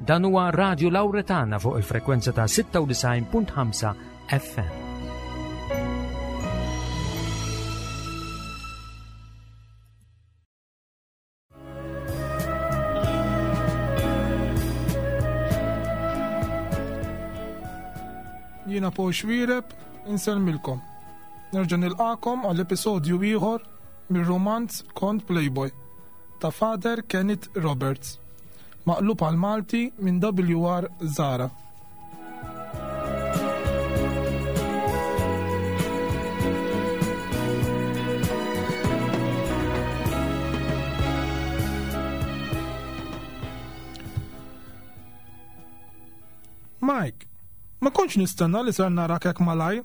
Dan huwa Radio Lauretana fuq il-frekwenza ta' 96.5 FM. Jiena Paul Xwireb, insellmilkom. Nerġa' nilqakom għall episodju ieħor mir-romanz Kont Playboy ta' Father Kenneth Roberts, maqlub għal Malti minn WR Zara. Mike, ma kontx nistenna li ser narak hekk malaj.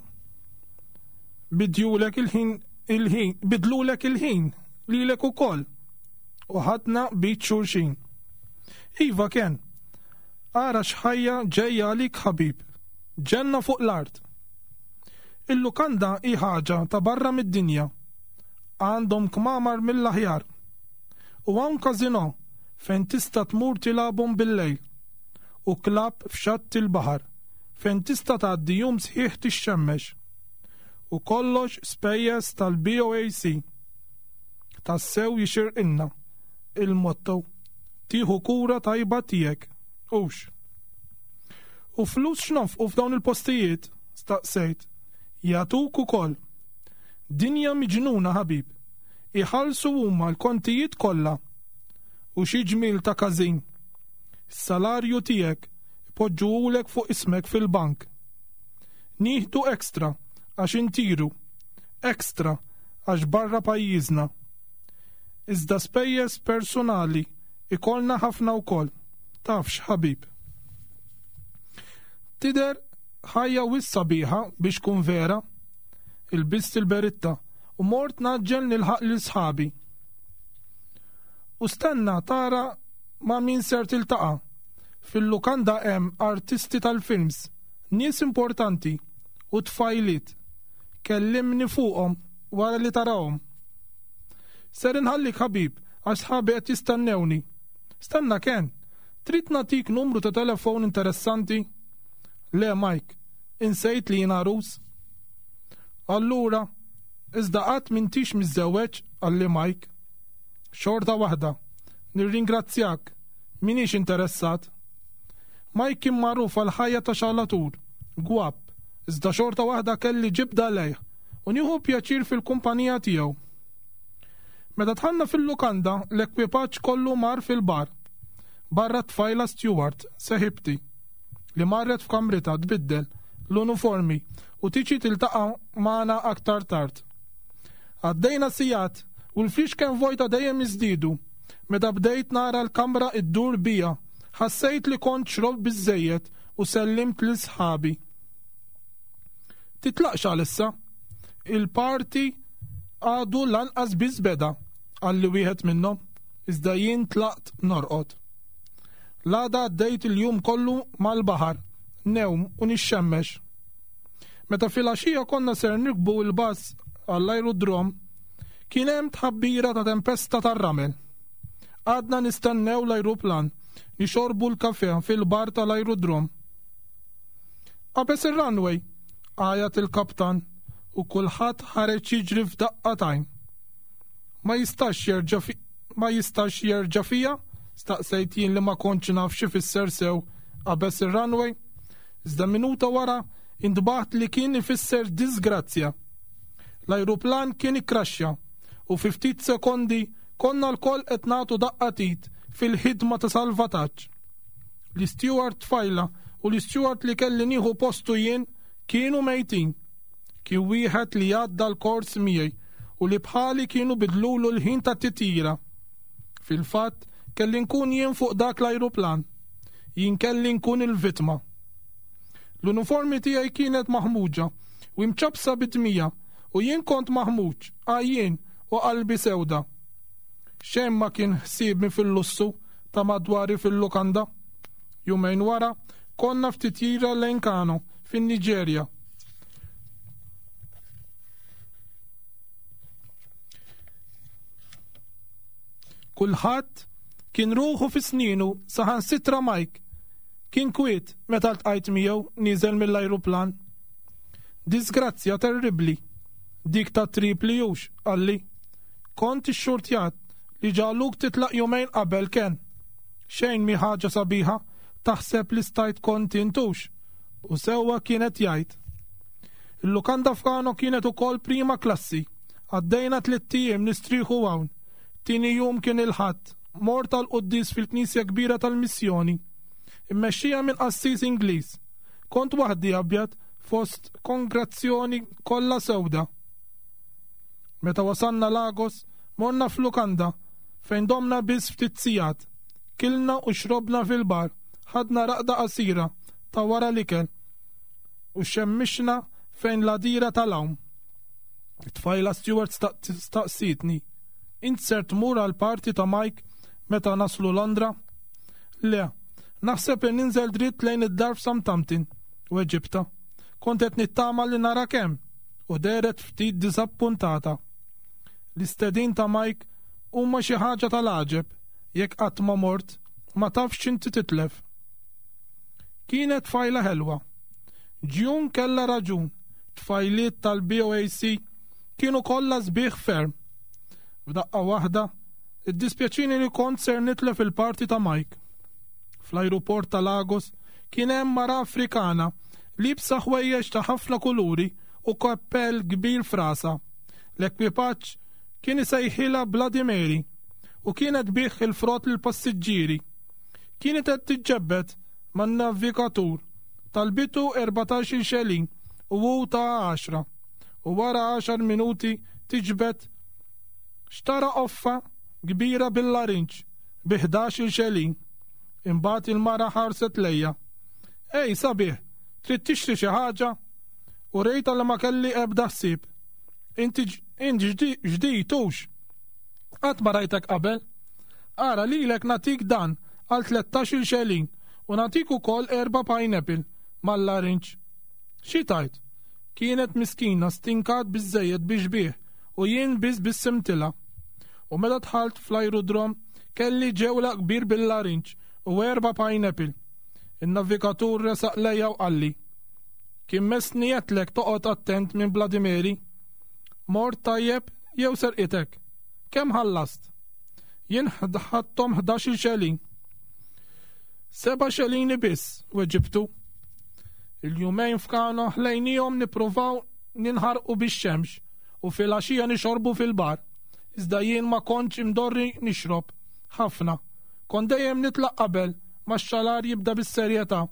Bidjulek il-ħin il-ħin, bidlulek il-ħin lilek ukoll. U ħadna bit xulxin. Iva Ken, ara x'ħajja ġejja għalik ħabib. Ġenna fuq l-art. Il-lukanda hi ħaġa ta' barra mid-dinja. Għandhom kmamar mill-aħjar. U hawn każinò fejn tista' tmur tilgħabhom bil-lejl. U klabb f'xatt il-baħar fejn tista' tgħaddi jum sħiħ tixxemmex. U kollox spejjeż tal-BOAC. Tassew jixirqilna il-motto tieħu kura tajba tiegħek, hux? U flus x'nonfqu f'dawn il-postijiet? staqsejt. Jagħtuk ukoll. Dinja miġnuna ħabib. Iħallsu huma l-kontijiet kollha. U xi ġmiel ta' każin. Is-salarju tiegħek ipoġġuhulek fuq ismek fil-bank. Nieħdu extra għax intiru. Extra għax barra pajjiżna. Iżda spejjeż persunali ikollna ħafna wkoll. Tafx ħabib. Tidher ħajja wisq sabiħa biex tkun vera. Ilbist il-beritta u mort ngħaġġel nilħaq lil sħabi. U stenna tara ma' min ser tiltaqa'. Fil-lukanda hemm artisti tal-films, nies importanti u tfajliet. Kellimni fuqhom wara li tarahom. Ser inħallik ħabib għax sħabi qed jistennewni. Stenna Ken, trid nagħtik numru ta' telefon interessanti? Le Mike, insejt li jien għarus. Allura, iżda qatt m'intix miżżewweġ, qalli Mike. Xorta waħda, nirringrazzjak, m'iniex interessat. Mike kien magħruf għal ħajja ta' xalatur, gwapp, iżda xorta waħda kelli ġibda lejh u nieħu pjaċir fil-kumpanija tiegħu. Meta dħalna fil-lukanda, l-ekwipaġġ kollu mar fil-bar. Barra t-tfajla Stewart, seħibti, li marret f'kamritha tbiddel l-uniformi u tiġi tiltaqa' magħna aktar tard. Għaddejna sigħat u l-fliexken vojta dejjem jiżdiedu. Meta bdejt nara l-kamra iddur bija, ħassejt li kont xrobt biżżejjed u sellimt lil sħabi. Titlaqx għalissa. Il-party għadu lanqas biss beda, qalli wieħed minnhom, iżda jien tlaqt norqod. L-għada għaddejt il-jum kollu mal-baħar, ngħum u nixxemmex. Meta filgħaxija konna ser nirkbu l-bus għall-ajrudrom, kien hemm tħabbira ta' tempesta tar-ramel. Għadna nistennew l-ajruplan, nixorbu l-kafè fil-bar tal-ajrudrom. Qabeż ir-runway! għajat il-kaptan u kulħadd ħareġ jiġri f'daqqa t'għajn. Ma jistax jerġa' ma jistax jerġa' fija? staqsejt jien li ma kontx naf x'ifisser sew qabeż ir-runway. Iżda minuta wara intbaħt li kien ifisser diżgrazzja. L-ajruplan kien ikkraxxja u fi ftit sekondi konna lkoll qed nagħtu daqqa t'id fil-ħidma ta' salvataġġ. L-isteward tfajla u l-isteward li kelli nieħu postu jien kienu mejtin. Kien wieħed li għadda l-kors miegħi u li bħali kienu bidlulu l-ħin tat-titjira. Fil-fatt, kelli nkun jien fuq dak l-ajruplan. Jien kelli nkun il-vittma. L-uniformi tiegħi kienet maħmuġa u imċappsa bid-dmija u jien kont maħmuġ, għajjien u qalbi sewda. Xejn ma kien ħsiebni fil-lussu ta' madwari fil-lukanda. Jumejn wara, konna f'titjira lejn Kano, fin-Niġerja. Kulħadd kien ruħu fi snienu saħansitra Mike. Kien kwiet meta ltqajt miegħu nieżel mill-ajruplan. Disgrazzja terribbli. Dik ta' Tripli hux, qalli. Kont ixxurtjat li ġagħluk titlaq jumejn qabel Ken. Xejn mhi ħaġa sabiħa taħseb li stajt kont int hux. U sewwa kien qed jgħid. Il-lukanda f'Kano kienet ukoll prima klassi. Għaddejna tlitt ijiem nistrieħu hawn. Tieni jum kien il-Ħadd. Mort għall-quddies fil-knisja kbira tal-missjoni. Immexxija minn qassis Ingliż. Kont waħdi abjad fost kongrazzjoni kollha sewda. Meta wasalna Lagos, morna f'lukanda fejn domna biss ftit sigħat. Kilna u xrobna fil-bar, ħadna raqda qasira ta' wara l-ikel u xemmixna fejn l-għadira tal-għawm. It-tfajla steward staqsietni, Int ser tmur għall-party ta' Mike meta naslu Londra? Le, naħseb li ninżel dritt lejn id-dar f'Southampton, weġibtha. Kont qed nittama li narak hemm, u dehret ftit diżappuntata. L-istedin ta' Mike huma xi ħaġa tal-għaġeb, jekk qatt ma mort, ma tafx x'inti titlef. Kienet tfajla ħelwa. June kellha raġun, tfajliet tal-BOAC kienu kollha sbieħ ferm. F'daqqa waħda, iddispjaċini li kont ser nitlef il-parti ta' Mike. Fl-ajruport ta' Lagos kien hemm mara Afrikana liebsa ħwejjeġ ta' ħafna kuluri u kappell kbir f'rasha. L-ekwipaġġ kien isejħilha Bloody Mary u kienet tbigħ il-frott lill-passiġġieri. Kienet qed tiġġebbed man-navigatur. Talbitu 14-il xelin u hu taha għaxra. U wara għaxar minuti tiġbed xtara qoffa kbira bil-larinġ bi 11-il xelin. Imbagħad il-mara ħarset lejja. Ej, sabiħ, trid tixtri xi ħaġa? U rejtha li ma kelli ebda ħsieb. Inti int ġdid hux? Qatt ma rajtek qabel. Ara lilek nagħtik dan għal 13-il xelin u nagħtik ukoll erba' pineapple mal-larinġ. Xi tgħid? Kienet miskina stinkat biżżejjed biex tbigħ u jien biss bissimtilha. U meta dħalt fl-ajrudrom kelli ġewlaq kbir bil-larinġ u erba' pineapple. In-navigatur resaq lejja u qalli, Kien messni għedtlek toqgħod attent minn Bloody Mary. Mort tajjeb jew serqitek? Kemm ħallast? Jien ħadthom 11-il xelin. Seba' xelini biss, weġibtu. Il-jumejn f'Kano ħlejnihom nippruvaw ninħarqu bix-xemx u filgħaxija nixorbu fil-bar. Iżda jien ma kontx imdorri nixrob ħafna. Kont dejjem nitlaq qabel ma x-xalar jibda bis-serjetà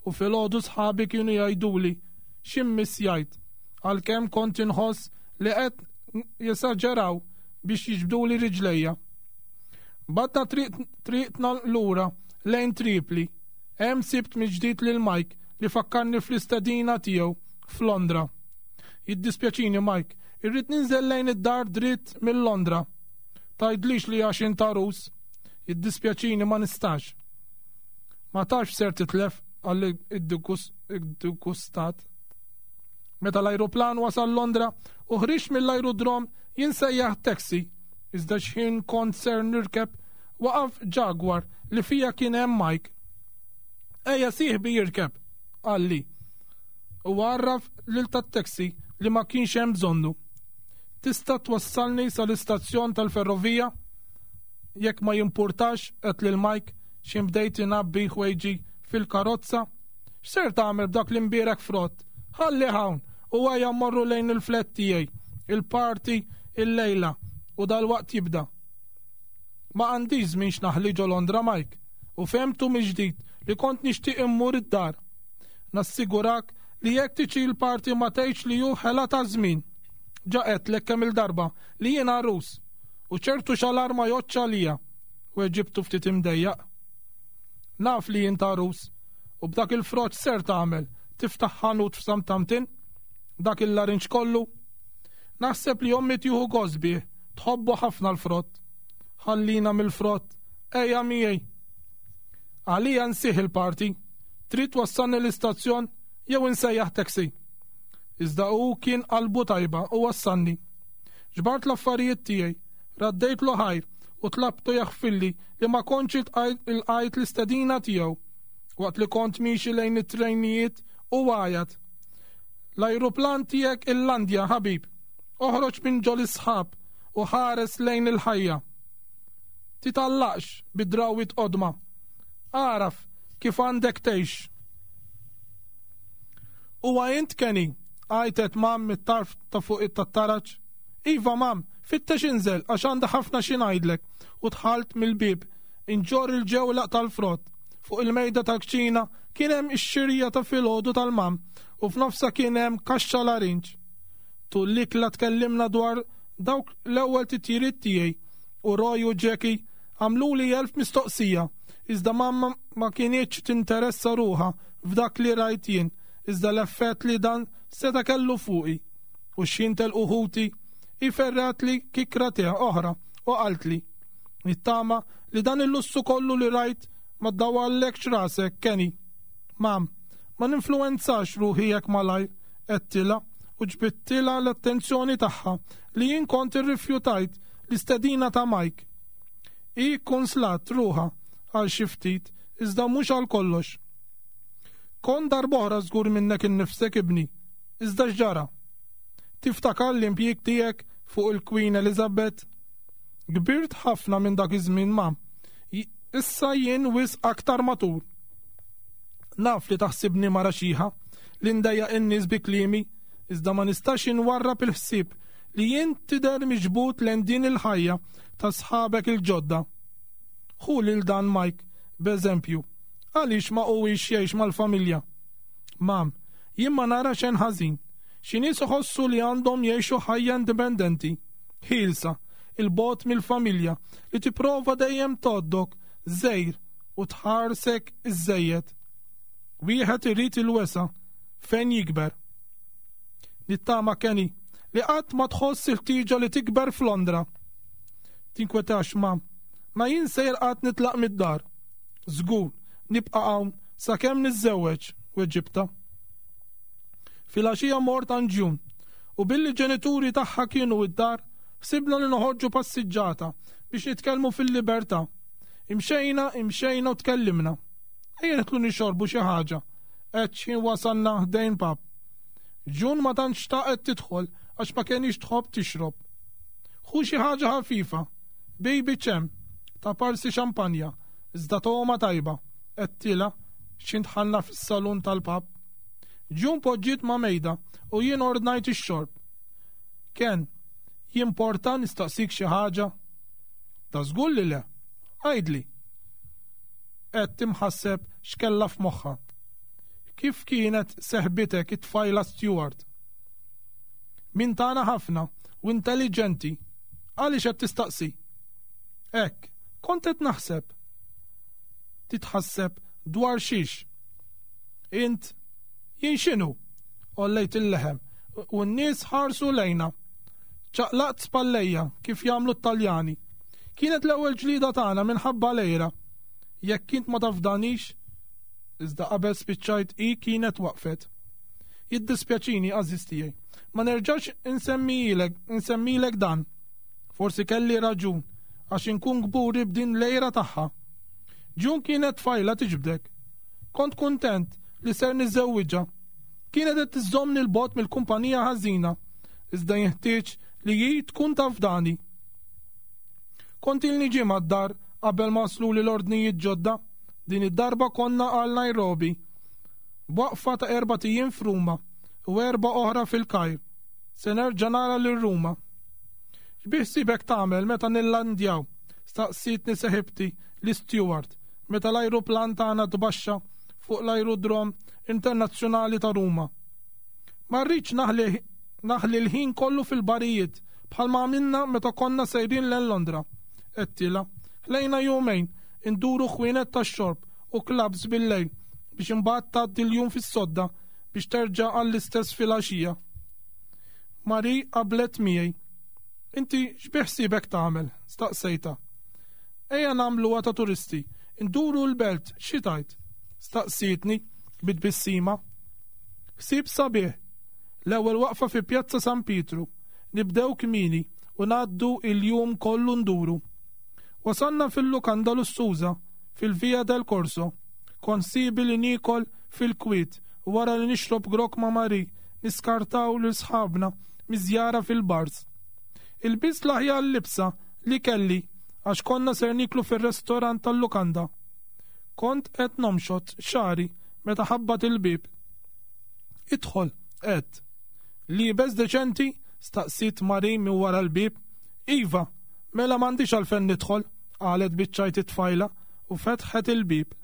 u filgħodu sħabi kienu jgħiduli x'immissjajt, għalkemm kont inħoss li qed jesaġeraw biex jiġbduli riġlejja. Bgħadna triqtna lura lejn Tripli. Hemm sibt mill-ġdid lil Mike li fakkarni fl-istedina tiegħu f'Londra. Jiddispjaċini Mike, irrid ninżel lejn id-dar dritt minn Londra. Tgħidlix li għax int għarus. Jiddispjaċini ma nistax. Ma tafx ser titlef qalli id-dgustat. Meta l-ajruplan wasal Londra u ħriġt mill-ajrudrom jien sejjaħt taxi. Iżda x'ħin kont ser nirkeb waqaf Jaguar li fija kien hemm Mike. Ejja sieħbi jirkeb, qalli. U għarraf lil tat-taxi li ma kienx hemm bżonnu. Tista' twassalni sal-istazzjon tal-ferrovija? Jekk ma jimpurtax, għedt lil Mike x'ħin bdejt ingħabbi ħwejġi fil-karozza. X'ser tagħmel b'dak l-imbierek frott? Ħallih hawn u ejja mmorru lejn il-flat tiegħi. Il-party illejla u dalwaqt jibda. Ma għandix żmien x'naħli ġo Londra, Mike, u fehmtu mill-ġdid li kont nixtieq immur id-dar. Nassigurak li jekk tiġi l-party ma tgħidx li hu ħela ta' żmien. Ġa għedtlek kemm-il darba li jien għarus u ċertu xalar ma jgħoddx għalija, weġibtu ftit imdejjaq. Naf li int għarus u b'dak il-frott x'ser tagħmel, tiftaħ ħanut f'Southampton? Dak il-larinġ kollu? Naħseb li ommi tieħu gost bih, tħobbu ħafna l-frott. Ħallina mill-frott, ejja miegħi. Għalija nsih il-party. Trid twassalni l-istazzjon jew insejjaħ taxi? Iżda hu kien qalbu tajba u wassalni. Ġbart l-affarijiet tiegħi, raddejtlu ħajr u tlabtu jaħfirli li ma kontx ilqajt l-istedina tiegħu. Waqt li kont miexi lejn it-trejnijiet u għajat. L-ajruplan tiegħek illandja, ħabib. Oħroġ minn ġol-isħab u ħares lejn il-ħajja. Titgħallaqx bi drawwiet qodma. Agħraf kif għandek tgħix. Huwa int Kenny? għajtet Mam mit-tarf ta' fuq tat-taraġ. Iva, Mam, fittex inżel għax għandi ħafna xi ngħidlek u dħalt mill-bieb inġorr il-ġewlaq tal-frott. Fuq il-mejda tal-kċina kien hemm ix-xirja ta' filgħodu tal-Mam u f'nofsha kien hemm kaxxa larinġ. Tul l-ikla tkellimna dwar dawk l-ewwel titjiriet tiegħi u Roy u Jackie għamluli elf mistoqsija iżda mamma ma kinitx tinteressa ruħha f'dak li rajt jien iżda l-effett li dan seta' kellu fuqi. U x'ħin telqu ħuti, hi ferratli kikra te oħra u qaltli, Nittama li dan il-lussu kollu li rajt ma ddawwallekx rasek, Kenny. Mam, ma ninfluwenzax ruħi hekk malajr, għedtilha u ġbidtilha l-attenzjoni tagħha li jien kont irrifjutajt l-istedina ta' Mike. Hi kkunslat ruħha għal xi ftit iżda mhux għal kollox. Kont darb'oħra żgur minnek innifsek ibni, iżda x'ġara? Tiftakar l-impjieg tiegħek fuq il-Queen Elizabeth? Kbirt ħafna minn dak iż-żmien ma. Issa jien wisq aktar matur. Naf li taħsibni mara xiħa, li ndejjaq in-nies bi kliemi, iżda ma nistax inwarrab il-ħsieb li jien tidher miġbud lejn din il-ħajja ta' sħabek il-ġodda. Ħu lil dan Mike b'eżempju. Għaliex ma huwiex jgħix mal-familja? Mam, jien ma nara xejn ħażin. Xi nies iħossu li għandhom jgħixu ħajja indipendenti, ħielsa, 'il bogħod mill-familja li tipprova dejjem tgħoddok żgħir u tħarsek iżżejjed. Wieħed irid il-wesgħa fejn jikber. Nittama Kenny li qatt ma tħoss il-ħtieġa li tikber f'Londra. Tinkwetax ma, ma jien sejjer qatt nitlaq mid-dar. Żgur, nibqa' hawn sakemm niżżewweġ, weġibtha. Filgħaxija mort għand June u billi ġenituri tagħha kienu id-dar, ħsibna li noħorġu passiġġata biex nitkellmu fil-libertà. Imxejna, imxejna u tkellimna. Ejja nidħlu nixorbu xi ħaġa, għedt x'ħin wasalna ħdejn pub. June ma tantx xtaqet tidħol għax ma kenix tħobb tixrob. Ħu xi ħaġa ħafifa, baby ċem, ta' parsi xampanja, iżda togħma tajba, għedtilha x'ħin dħalna fis-salun tal-pub. June poġġiet ma' mejda u jien ordnajt ix-xorb. Ken, jimporta nistaqsik xi ħaġa? Da żgur li le. Għidli. Għedt imħasseb x'kellha f'moħħha. Kif kienet seħbitek it-tfajla Stewart? Min tagħna ħafna u intelliġenti. Għaliex qed tistaqsi? Hekk, kont qed naħseb. Titħasseb dwar xiex? Int, jien x'inhu? Għollejt il-leħem u n-nies ħarsu lejna. Ċaqlaqt spallejja kif jagħmlu t-Taljani. Kienet l-ewwel ġlieda tagħna minħabba l-għira. Jekk int ma tafdanix, iżda qabel spiċċajt hi kienet waqfet. Jiddispjaċini, għażiż tiegħi, ma nerġax insemmilek, insemmilek dan. Forsi kelli raġun, għax inkun kburi b'din l-għira tagħha. June kienet tfajla tiġbdek. Kont kuntent li ser niżżewwiġha. Kienet qed tiżżommni 'l bogħod mill-kumpanija ħażina, iżda jinħtieġ li hi tkun tafdani. Kont ilni ġimgħa d-dar qabel ma wasluli l-ordnijiet ġodda. Din id-darba konna għal Nairobi. B'waqfa ta' erbat ijiem f'Ruma u erbgħa oħra fil-Kajr. Se nerġa' nara lil Ruma. X'biħsiebek tagħmel meta nillandjaw? staqsietni seħibti l-isteward meta l-ajruplan tagħna tbaxxa fuq l-ajrudrom internazzjonali ta' Ruma. Ma rridx naħli naħli l-ħin kollu fil-barijiet bħalma għamilna meta konna sejrin lejn Londra, għedtilha. Ħlejna jumejn induru ħwienet tax-xorb u clubs bil-lejl biex imbagħad tgħaddi l-jum fis-sodda biex terġa' għall-istess filgħaxija. Marie qablet miegħi. Inti x'biħsiebek tagħmel? staqsejtha. Ejja nagħmluha ta' turisti, induru l-belt, xi tgħid? staqsietni bi tbissima. Ħsieb sabiħ. L-ewwel waqfa fi Pjazza San Pietru. Nibdew kmieni u ngħaddu il-jum kollu nduru. Wasalna fil-lukanda lussuża fil-Via del Corso. Kont ħsiebi li niekol fil-kwiet u wara li nixrob grokk ma' Marie, niskartaw lil sħabna miż-żjara fil-bars. Ilbist l-aħjar libsa li kelli għax konna ser nieklu fir-restorant tal-lukanda. Kont qed nomxot xagħri meta ħabbat il-bieb. Idħol, għedt. Liebes deċenti? staqsiet Marie minn wara l-bieb. Iva, mela m'għandix għalfejn nidħol, qalet biċ-ċajt it-tfajla u fetħet il-bieb.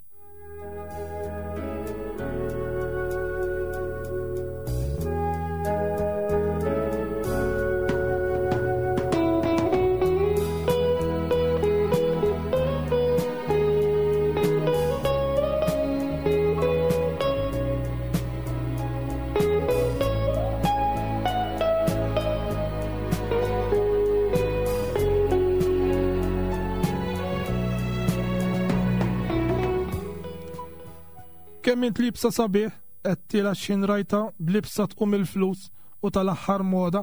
Kemm int libsa sabiħ, għedtilha x'ħin rajtha b'libsa tqum il-flus u tal-aħħar moda.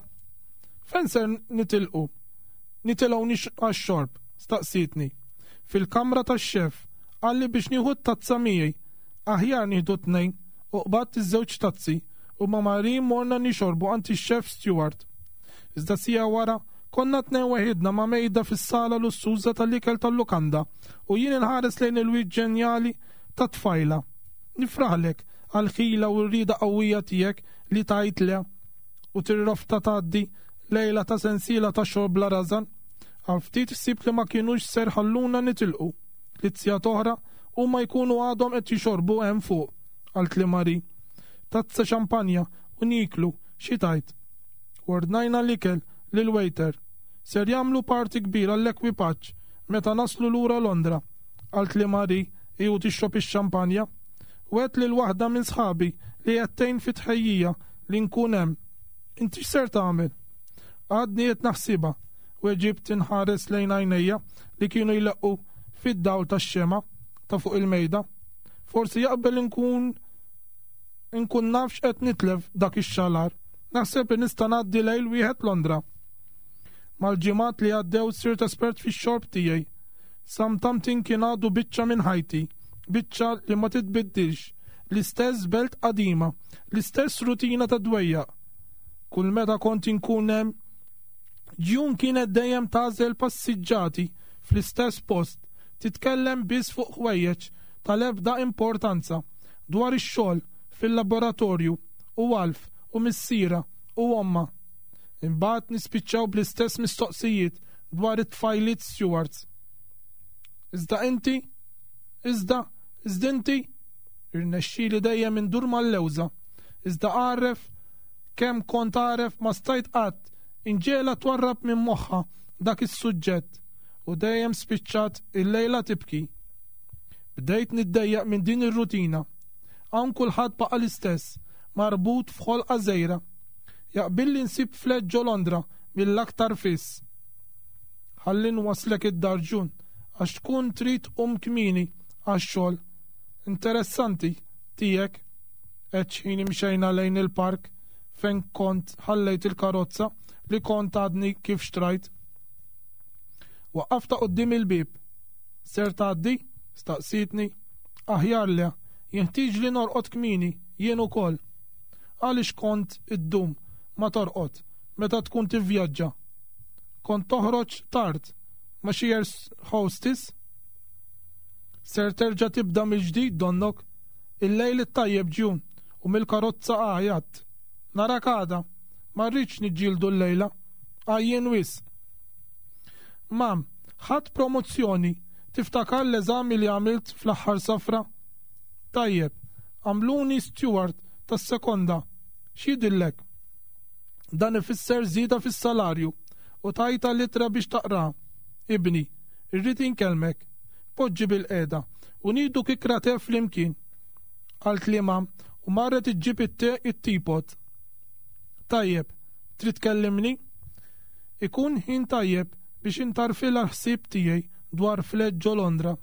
Fejn ser nitilqu? Nitilgħu nix għax-xorb, staqsietni. Fil-kamra tax-xef, qalli biex nieħu t-tazza miegħi. Aħjar nieħdu tnejn u qbadt iż-żewġ tazzi u ma' Marie morna nixorbu għand ix-Chef Steward. Iżda siegħa wara, konna tnejn weħidna ma' mejda fis-sala lussuża tal-ikel tal-lukanda u jien inħares lejn il-wiċċ ġenjali tat-tfajla. Nifraħlek għall-ħila u r-rieda qawwija tiegħek li tgħid le u tirrofta tgħaddi lejla ta' sensiela ta' xorb bla rażan. Għal ftit ħsibt li ma kinux ser ħalluna nitilqu. Tliet sigħat oħra huma jkunu għadhom qed jixorbu hemm fuq, qaltli Marie. Tazza xampanja u nieklu, xi tgħid? Ordnajna l-ikel lill-waiter. Ser jagħmlu party kbir għall-ekwipaġġ meta naslu lura Londra, qaltli Marie hi u tixrob ix-xampanja. Wegħedt lil waħda minn sħabi li qed tgħin fit-tħejjija li nkun hemm. Inti x'ser tagħmel? Għadni qed naħsibha, weġibt inħares lejn għajnejja li kienu jleqqu fid-dawl tax-xemgħa ta' fuq il-mejda. Forsi jaqbel inkun inkun naf x'qed nitlef dak ix-xalar. Naħseb li nista' ngħaddi lejl wieħed Londra. Mal-ġimgħat li għaddew sirt espert fix-xorb tiegħi. Southampton kien għadu biċċa minn ħajti, biċċa li ma titbiddilx, l-istess belt qadima, l-istess rutina ta' dwejjaq. Kull meta kont inkun hemm, June kienet dejjem tagħżel passiġġati fl-istess post, titkellem biss fuq ħwejjeġ tal-ebda importanza, dwar ix-xogħol fil-laboratorju u Alf u missierha u ommha. Imbagħad nispiċċaw bl-istess mistoqsijiet dwar it-tfajliet Stewarts. Iżda inti? Iżda, iżda inti? Irnexxieli dejjem indur mal-lewża. Iżda għaref kemm kont għaref ma stajt qatt inġegħelha twarrab minn moħħha dak is-suġġett u dejjem spiċċat il-lejla tibki. Bdejt niddejjaq minn din ir-rutina. Hawn kulħadd baqa' l-istess, marbut f'ħolqa żgħira. Jaqbilli nsib flat ġo Londra mill-aktar fis. Ħalli nwasslek id-dar June għax tkun trid tqum kmieni għax-xogħol. Interessanti tiegħek, għedt x'ħin imxejna lejn il-park fejn kont ħallejt il-karozza li kont għadni kif xtrajt. Waqqaftha quddiem il-bieb. Ser tgħaddi? staqsietni. Aħjar le, jinħtieġli norqod kmieni jien ukoll. Għaliex kont iddum ma torqod meta tkun tivvjaġġa? Kont toħroġ tard ma' xi air hostess? Ser terġa' tibda mill-ġdid donnok? Il-lejl it-tajjeb June u mill-karozza għajjatt. Narak għada. Ma rridx niġġieldu llejla. Għajjien wisq. Mam, ħadt promozzjoni. Tiftakar l-eżami li għamilt fl-aħħar safra? Tajjeb, għamluni steward tas-sekonda. X'jidhirlek? Dan ifisser żieda fis-salarju u tajtha l-ittra biex taqraha. Ibni, irrid inkellmek. Poġġi bilqiegħda u nieħdu kikra te flimkien. Qaltli mam u marret iġġib it-te it-teapot. Tajjeb, trid tkellimni? Ikun ħin tajjeb biex intarfilha l-ħsieb tiegħi dwar flat ġo Londra.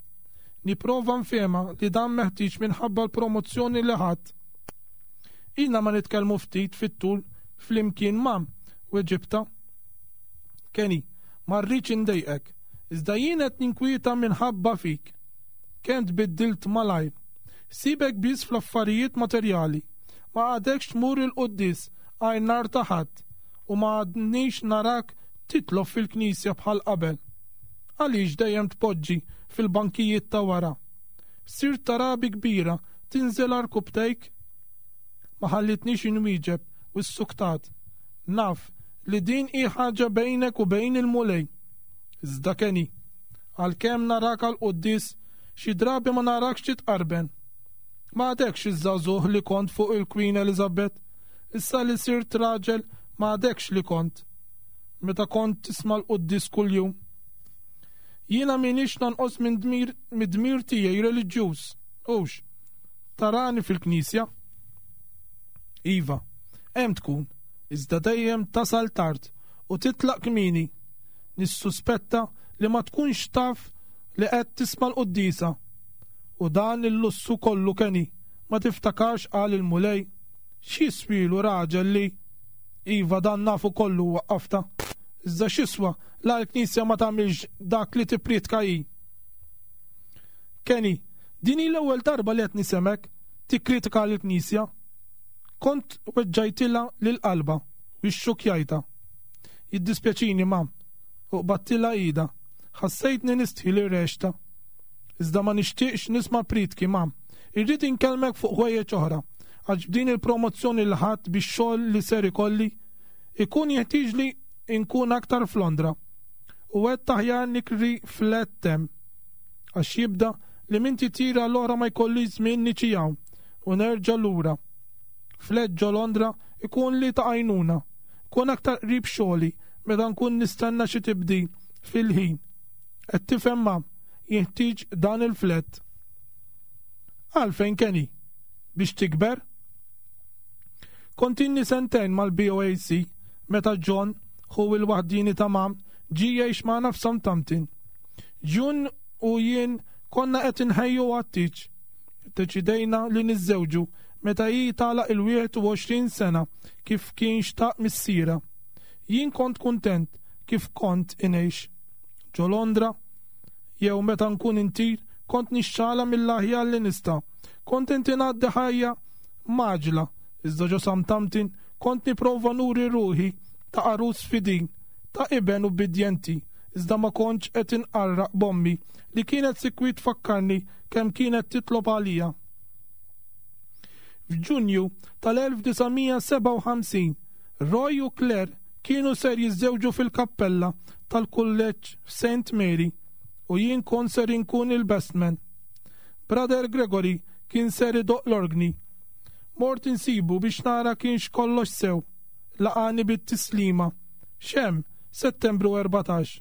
Nipprova nfehmha li dan meħtieġ minħabba l-promozzjoni li ħadt. Ilna ma nitkellmu ftit fit-tul flimkien mam, weġibtha. Kenny, ma rridx indejqek, iżda jien qed ninkwieta minħabba fik. Kemm tbiddilt malajr. Ħsiebek biss fl-affarijiet materjali. Ma għadekx tmur il-quddies għajr nhar ta' Ħadd u ma għadnix narak titlob fil-knisja bħal qabel. Għaliex dejjem tpoġġi fil-bankijiet ta' wara? Sirt ta' rabi kbira tinżel għarkupptejk? Ma ħallitnix inwieġeb u ssuktat. Naf li din hi ħaġa bejnek u bejn il-Mulej. Iżda Kenny, għalkemm narak għall-quddies, xi drabi ma narakx titqarben. Ma għadekx iż-żagħżugħ li kont fuq il-Queen Elizabeth. Issa li sirt raġel ma għadekx li kont. Meta kont tisma' l-quddies kuljum. Jiena m'iniex nonqos minn dmir mid-dmir tiegħi reliġjuż, hux? Tarani fil-knisja? Iva, hemm tkun, iżda dejjem tasal tard u titlaq kmieni. Nissuspetta li ma tkunx taf li qed tisma' l-quddiesa. U dan il-lussu kollu Kenny, ma tiftakarx qal il-Mulej? X'jiswielu raġel li. Iva dan nafu kollu waqqaftha. Iżda x'jiswa la l-Knisja ma tagħmilx dak li tipprietka hi? Kenny, din hi l-ewwel darba li qed nisemgħek tikkritika lill-Knisja. Kont weġġajtilha lil qalbha u xxukkjajtha. Jiddispjaċini ma, u qbadtilha idha. Ħassejtni nistħi li rgħextha. Iżda ma nixtieqx nisma' prietki, ma. Irrid inkellmek fuq ħwejjeġ oħra, għax b'din il-promozzjoni li ħadt bix-xogħol li ser ikolli, ikun jeħtieġli nkun aktar f'Londra. U għedt aħjar nikri flat hemm. Għax jibda li minn titjira l-oħra ma jkollix żmien niġi hawn u nerġa' lura. Flat ġo Londra ikun li ta' għajnuna. Ikun aktar qrib xogħli meta nkun nistenna xi tibdil fil-ħin. Qed tifhem ma, jinħtieġ dan il-flat. Għalfejn Kenny? Biex tikber? Kont ilni sentejn mal-BOAC meta John, ħu il-waħdieni ta' Mam, ġie jgħix magħna f'Southampton. June u jien konna qed inħejju għat-tieġ. Iddeċidejna li niżżewġu meta hi tagħlaq il-21 sena kif kien xtaq missierha. Jien kont kuntent kif kont ingħix. Ġo Londra, jew meta nkun intir, kont nixxala mill-aħjar li nista'. Kont inti ngħaddi ħajja mgħaġġla, iżda ġo Southampton kont nipprova nuri ruħi ta' għarus fidil, ta' iben ubbidjenti, iżda ma kontx qed inqarraq b'ommi li kienet sikwit tfakkarni kemm kienet titlob għalija. F'Ġunju tal-1957, Roy u Claire kienu ser jiżżewġu fil-kappella tal-kulleġġ f'Saint Mary u jien kont ser inkun il-best man. Brother Gregory kien ser idoqq l-orgni. Mort insibu biex nara kienx kollox sew. Laqagħni bit-tislima. X'hemm, Settembru 14.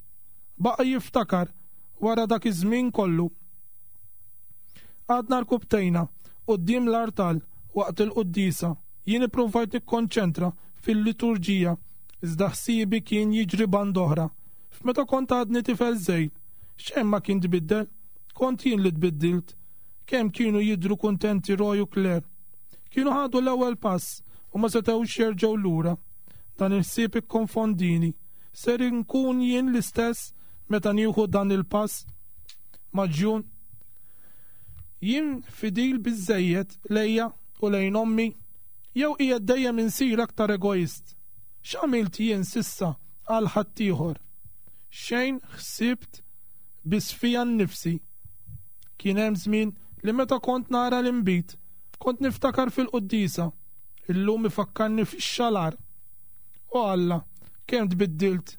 Baqa' jiftakar wara dak iż-żmien kollu. Qgħadna rkubtejna quddiem l-artal waqt il-quddiesa. Jien ippruvajt nikkonċentra fil-liturġija, iżda ħsiebi kien jiġri band'oħra. F'meta kont għadni tifel żgħir, xejn ma kien tbiddel. Kont jien li tbiddilt. Kemm kienu jidhru kuntenti Roy u Claire. Kienu ħadu l-ewwel pass u ma setgħux jerġgħu lura. Dan il-ħsieb ikkonfondini. Ser inkun jien l-istess meta nieħu dan il-pass ma' June? Jien fidil biżżejjed lejja u lejn ommi? Jew qiegħed dejjem insir aktar egoist? X'għamilt jien s'issa għal ħaddieħor? Xejn ħsibt biss fija nnifsi. Kien hemm żmien li meta kont nara l-inbid, kont niftakar fil-quddiesa. Illum ifakkarni fix-xalar. O Alla, kemm tbiddilt!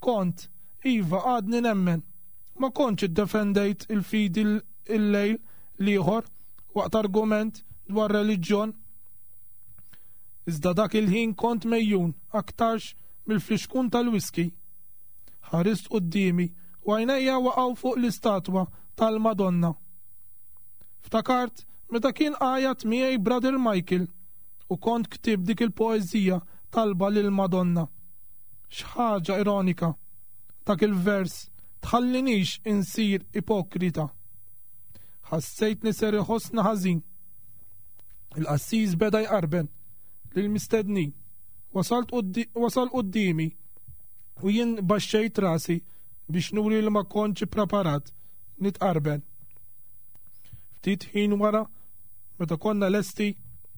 Kont, iva, għadni nemmen. Ma kontx iddefendejt il-fidi l-lejl l-ieħor waqt argument dwar reliġjon. Iżda dak il-ħin kont megħjun aktarx mill-flixkun tal-whisky. Ħarist quddiemi u għajnejja waqgħu fuq l-istatwa tal-Madonna. Ftakart meta kien għajat miegħi Brother Michael u kont ktibt dik il-poeżija talba lill-Madonna. X'ħaġa ironika! Dak il-vers tħallinix insir ipokrita. Ħassejtni ser iħossni ħażin. Il-qassis beda jqarben lill-mistednin. Wasal quddiemi u jien baxxejt rasi biex nuri li ma kontx ippreparat nitqarben. Ftit ħin wara Meta konna lesti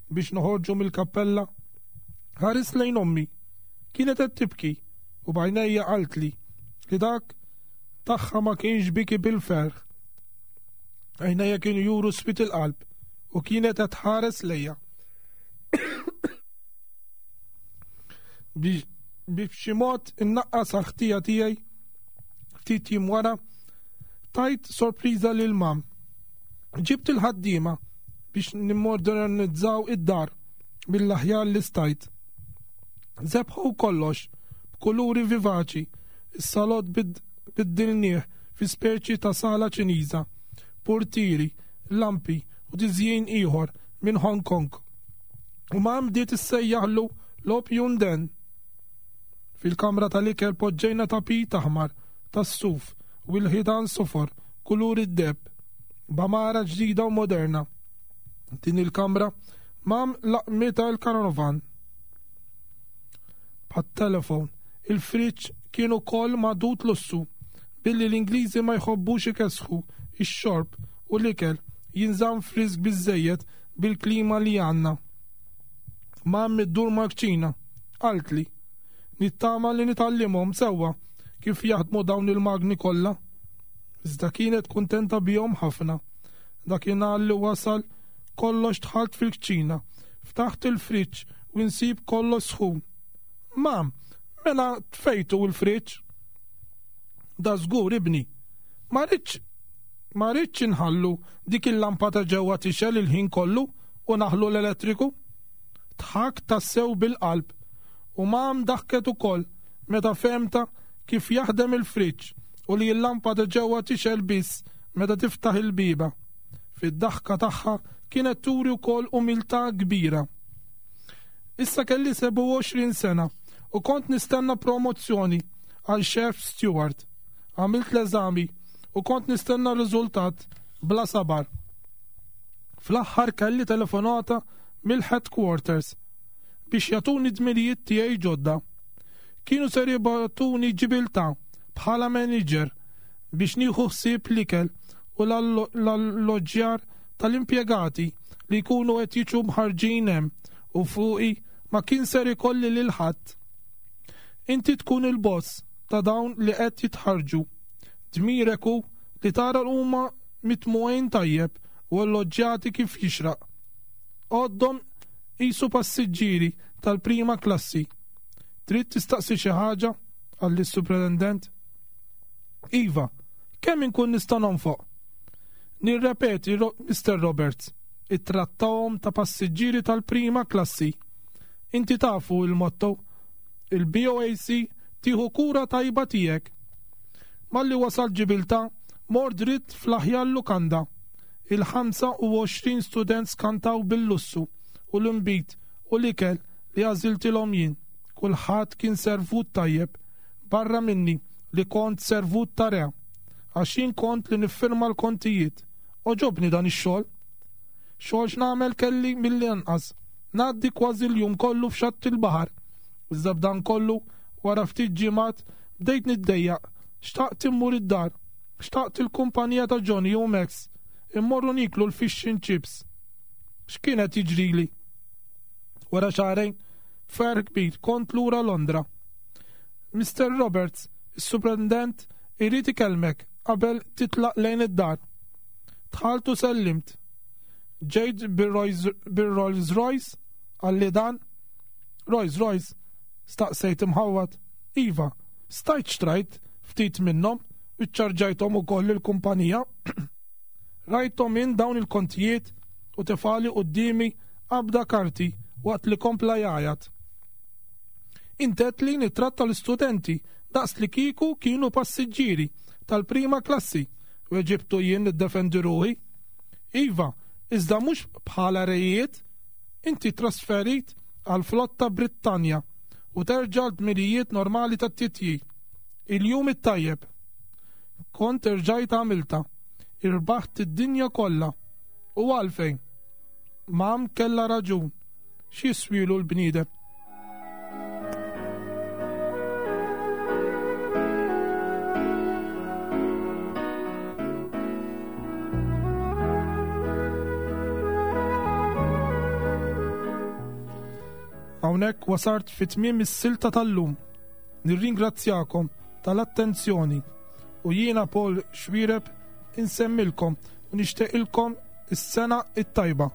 biex noħorġu mill-kappella, ħarist lejn ommi. Kienet qed tibki u b'għajnejja qaltli li dak tagħha ma kienx biki bil-ferħ. Għajnejja kienu juru swied il-qalb u kienet qed tħares lejja. Biex b'xi mod innaqqas għal-ħtija tiegħi ftit jiem wara tajt sorpriża lil mam. Ġibt il-ħaddiema biex nimmodernizzaw id-dar mill-aħjar li stajt. Zebħu kollox b'kuluri vivaċi, is-salott biddilnieh fi speċi ta' sala Ċiniża, purtieri, lampi u tiżjin ieħor minn Hong Kong. U ma bdiet issejjaħlu l-Opium Den. Fil-kamra tal-ikel poġġejna tapit aħmar tas-suf u l-ħitan sofor kulur id-deheb, b'għamara ġdida u moderna. Din il-kamra mam laqmitha l-karanovan. Bħat-telefon, il-friġġ kien ukoll magħdud lussu, billi l-Ingliżi ma jħobbux ikessħu ix-xorb u l-ikel jinżamm frisk biżżejjed bil-klima li għandna. Mam iddur mal-kċina, qaltli. Nittama li nitgħallimhom sewwa kif jaħdmu dawn il-magni kollha. Iżda kienet kuntenta bihom ħafna. Dakinhar li wasal kollox dħalt fil-kċina, ftaħt il-friġġ u nsib kollox sħun. Mam, mela tfejtu l-friġġ? Da żgur ibni. Ma rridx ma rridx inħallu dik il-lampa ta' ġewwa tixgħel il-ħin kollu u naħlu l-elettriku. Dħakt tassew bil-qalb u mam daħket ukoll meta fehmtha kif jaħdem il-friġġ u li l-lampa ta' ġewwa tixgħel biss meta tiftaħ il-bieba. Fid-daħka tagħha kienet turi wkoll umiltà kbira. Issa kelli 27 sena u kont nistenna promozzjoni għal chef steward. Għamilt l-eżami u kont nistenna r-riżultat bla sabar. Fl-aħħar kelli telefonata mill-headquarters biex jagħtuni dmirijiet tiegħi ġodda. Kienu ser jibgħatuni Ġibiltà bħala manager biex nieħu ħsieb l-ikel u l-alloġġjar tal-impjegati li jkunu qed jiġu mħarrġin hemm u fuqi ma kien ser ikolli lil ħadd. Inti tkun il-boss ta' dawn li qed jitħarrġu. Dmirek hu li tara l huma mitmugħin tajjeb u alloġġjati kif jixraq. Għoddhom qisu passiġġieri tal-prima klassi. Trid tistaqsi xi ħaġa? qalli s-Supretendent. Iva, kemm inkun nista' nonfoq? Nirrepeti, Mister Roberts, ittrattahom ta' passiġġieri tal-prima klassi. Inti tafu il-motto, il-BOAC tieħu kura tajba tiegħek. Malli wasalt Ġibiltà, mort dritt fl-aħjar lukanda. Il-25 student skantaw bil-lussu u l-inbid u l-ikel li għażiltilhom jien. Kulħadd kien servut tajjeb, barra minni li kont servut ta' re, għax jien kont li niffirma l-kontijiet. Għoġobni dan ix-xogħol. Xogħol x'nagħmel kelli mill-inqas. Ngħaddi kważi l-jum kollu f'xatt il-baħar. Iżda b'dan kollu, wara ftit ġimgħat, bdejt niddejjaq. Xtaqt immur id-dar. Xtaqt il-kumpanija ta' Johnny u Max. Immorru nieklu l-fish and chips. X'kien qed jiġrili? Wara xahrejn, b'ferħ kbir kont lura Londra. Mister Roberts, is-Suprintendent irid ikellmek qabel titlaq lejn id-dar. Dħalt u sellimt. Ġejt bir-Rolls Royce? Qalli dan. Rolls Royce? Staqsejt imħawwad. Iva, stajt xtrajt ftit minnhom u ċċarġajthom ukoll lill-kumpanija. Rajthom jien dawn il-kontijiet u tefagħli quddiemi qabda karti waqt li kompla jgħajat. Int għedtli nittratta l-istudenti daqs li kieku kienu passiġġieri tal-prima klassi, weġibtu jien niddefendi ruħi. Iva, iżda mhux bħala rejiet. Inti trasferit għall-flotta Brittanja u terġa' l-dmirijiet normali tat-titjir. Il-jum it-tajjeb. Kont erġajt għamiltha. Irbaħt id-dinja kollha. U għalfejn? Mam kellha raġun. X'jiswielu l-bniedem? Hawnhekk wasart fi tmiem is-silta tal-lum. Nirringrazzjakom tal-attenzjoni u jiena Paul Xwireb insemmilkom u nixtieqilkom is-sena it-tajba.